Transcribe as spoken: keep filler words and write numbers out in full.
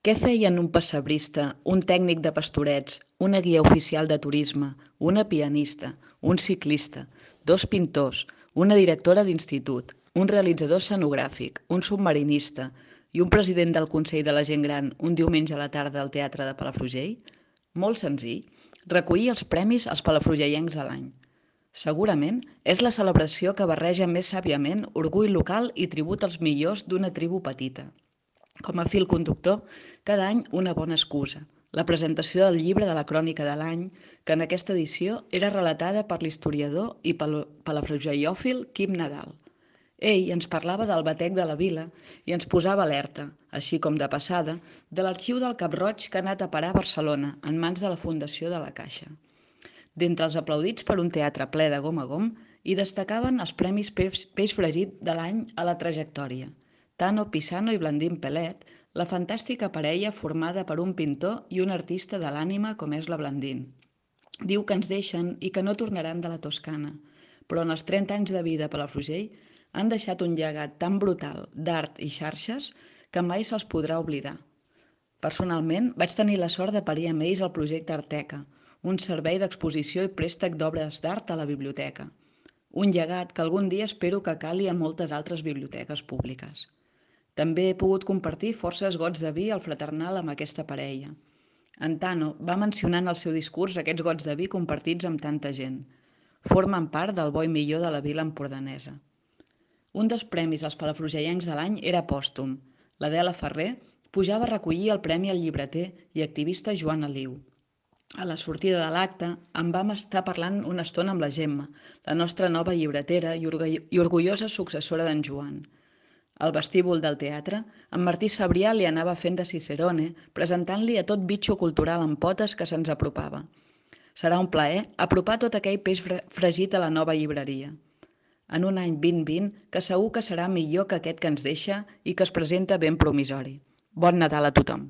Què feien un pessebrista, un tècnic de pastorets, una guia oficial de turisme, una pianista, un ciclista, dos pintors, una directora d'institut, un realitzador escenogràfic, un submarinista i un president del Consell de la Gent Gran un diumenge a la tarda al Teatre de Palafrugell? Molt senzill, recollir els premis als palafrugellencs de l'any. Segurament és la celebració que barreja més sàviament orgull local i tribut als millors d'una tribu petita. Com a fil conductor, cada any una bona excusa. La presentació del llibre de la crònica de l'any, que en aquesta edició era relatada per l'historiador i palafrugellòfil Quim Nadal. Ell ens parlava del batec de la vila i ens posava alerta, així com de passada, de l'arxiu del Cap-roig que ha anat a parar a Barcelona en mans de la Fundació de la Caixa. D'entre els aplaudits per un teatre ple de gom a gom, hi destacaven els premis Peix, Peix Fregit de l'any a la trajectòria. Tano Pisano i Blandín Pelet, la fantàstica parella formada per un pintor i un artista de l'ànima com és la Blandín. Diu que ens deixen i que no tornaran de la Toscana, però en els trenta anys de vida a Palafrugell han deixat un llegat tan brutal d'art i xarxes que mai se'ls podrà oblidar. Personalment, vaig tenir la sort de parir amb ells el projecte Arteca, un servei d'exposició i préstec d'obres d'art a la biblioteca. Un llegat que algun dia espero que cali a moltes altres biblioteques públiques. També he pogut compartir forces gots de vi al fraternal amb aquesta parella. En Tano va mencionar en el seu discurs aquests gots de vi compartits amb tanta gent. Formen part del bo i millor de la vila empordanesa. Un dels premis als palafrugellencs de l'any era pòstum. L'Adela Ferrer pujava a recollir el premi al llibreter i activista Joan Aliu. A la sortida de l'acte en vam estar parlant una estona amb la Gemma, la nostra nova llibretera i orgullosa successora d'en Joan. Al vestíbul del teatre, en Martí Sabrià li anava fent de Cicerone, presentant-li a tot bitxo cultural amb potes que se'ns apropava. Serà un plaer apropar tot aquell peix fregit a la nova llibreria. En un any vint vint, que segur que serà millor que aquest que ens deixa i que es presenta ben promisori. Bon Nadal a tothom!